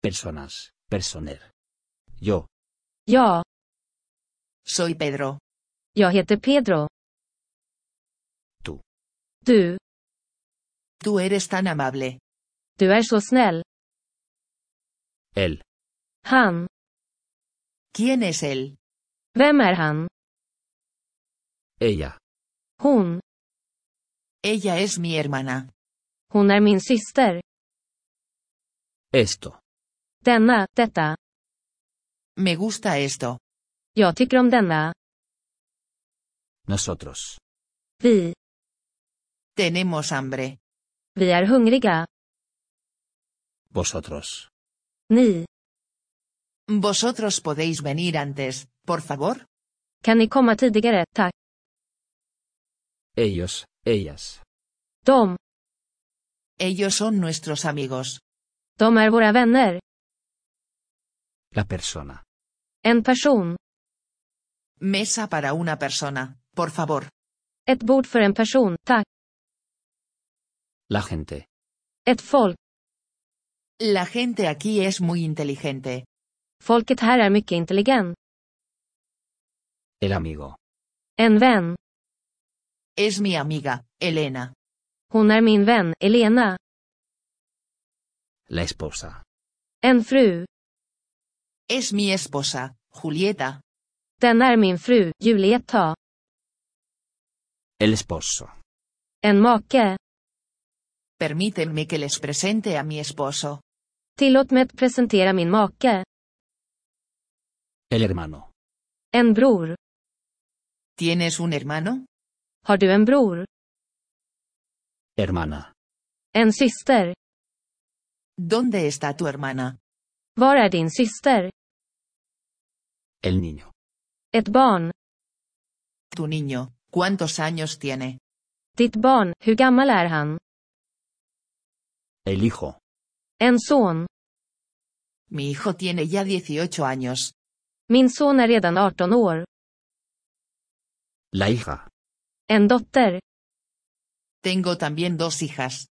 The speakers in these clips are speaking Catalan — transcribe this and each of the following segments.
Personas, personer. Yo, Ja, Soy Pedro. jag heter Pedro. tú, Du, Tú eres tan amable. du är så snäll. él, Han, ¿Quién es él? vem är han? ella, Hon, Ella es mi hermana. hon är min syster. esto, Denna, detta. Me gusta esto. Jag tycker om denna. nosotros, Vi, Tenemos hambre. vi är hungriga. vosotros, Ni, Vosotros podéis venir antes, por favor. kan ni komma tidigare, tack. ellos, ellas, De Ellos son nuestros amigos. är våra vänner. la persona, En person. Mesa para una persona, por favor. Ett bord för en person, tack. la gente, Ett folk. La gente aquí es muy inteligente. Folket här är mycket intelligent. el amigo, En vän. Es mi amiga, Elena. Hon är min vän, Elena. la esposa, En fru. Es mi esposa, Julieta. Den är min fru, Julieta. el esposo, En make. Permítanme que les presente a mi esposo. Tillåt mig att presentera min make. el hermano, En bror. ¿Tienes un hermano? Har du en bror? hermana, En syster. ¿Dónde está tu hermana? Var är din syster? el niño, Ett barn. Tu niño, ¿cuántos años tiene? Ditt barn, hur gammal är han? el hijo, En son. Mi hijo tiene ya 18 años. Min son är redan 18 år. la hija, En dotter. Tengo también 2 hijas.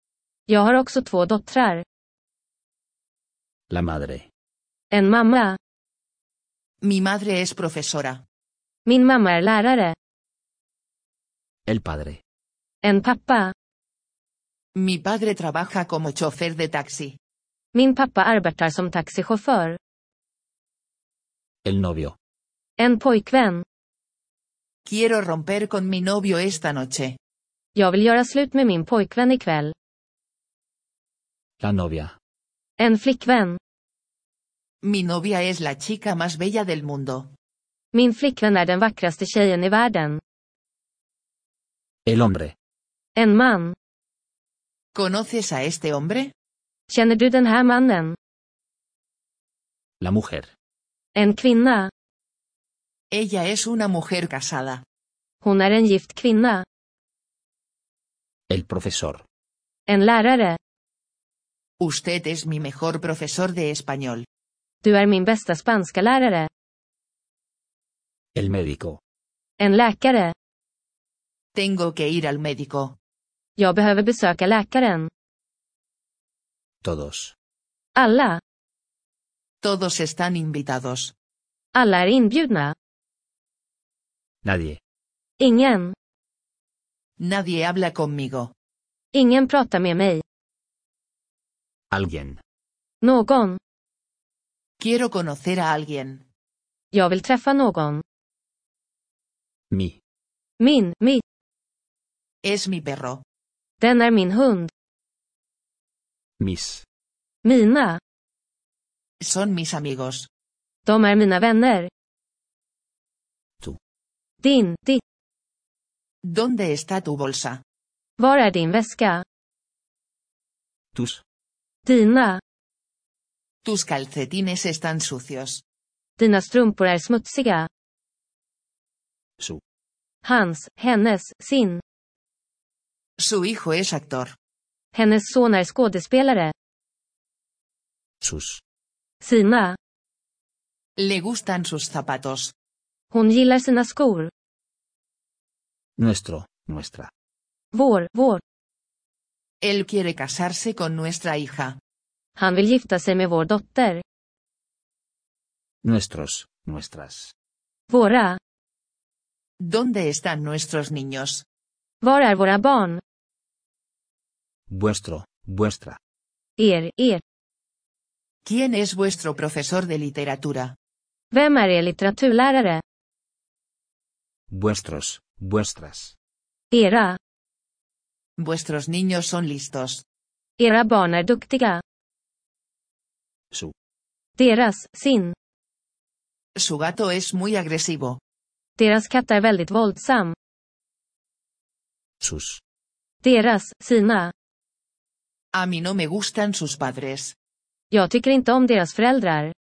Jag har också 2 dottrar. la madre, En mamma. Mi madre es profesora. Min mamma är lärare. el padre, En pappa. Mi padre trabaja como chofer de taxi. Min pappa arbetar som taxichaufför. el novio, En pojkvän. Quiero romper con mi novio esta noche. Jag vill göra slut med min pojkvän ikväll. la novia, En flickvän. Mi novia es la chica más bella del mundo. Min flickvän är den vackraste tjejen i världen. el hombre, En man. ¿Conoces a este hombre? Känner du den här mannen? la mujer, En kvinna. Ella es una mujer casada. Hon är en gift kvinna. el profesor, En lärare. Usted es mi mejor profesor de español. Du är min bästa spanska lärare. el médico, En läkare. Tengo que ir al médico. Jag behöver besöka läkaren. todos, Alla. Todos están invitados. Alla är inbjudna. nadie, Ingen. Nadie habla conmigo. Ingen pratar med mig. alguien, Någon. Quiero conocer a alguien. Jag vill träffa någon. mi, Mitt. Es mi perro. Den är min hund. mis, Mina. Son mis amigos. De är mina vänner. tú, Ditt. ¿Dónde está tu bolsa? Var är din väska? tus, Dina. Tus calcetines están sucios. Dina strumpor är smutsiga. su, Hans, hennes, sin. Su hijo es actor. Hennes son är skådespelare. sus, Sina. Le gustan sus zapatos. Hon gillar sina skor. nuestro, nuestra, Vår. Él quiere casarse con nuestra hija. Han vill gifta sig med vår dotter. Nuestros, nuestras. Våra. ¿Dónde están nuestros niños? Var är våra barn? Vuestro, vuestra. Er. ¿Quién es vuestro profesor de literatura? Vem är er litteraturlärare? Vuestros, vuestras. Era. Vuestros niños son listos. Era barn är duktiga. Su. Deras, sin. Su gato es muy agresivo. Deras katt är väldigt våldsam. Sus. Deras, sina. A mí no me gustan sus padres. Jag tycker inte om deras föräldrar.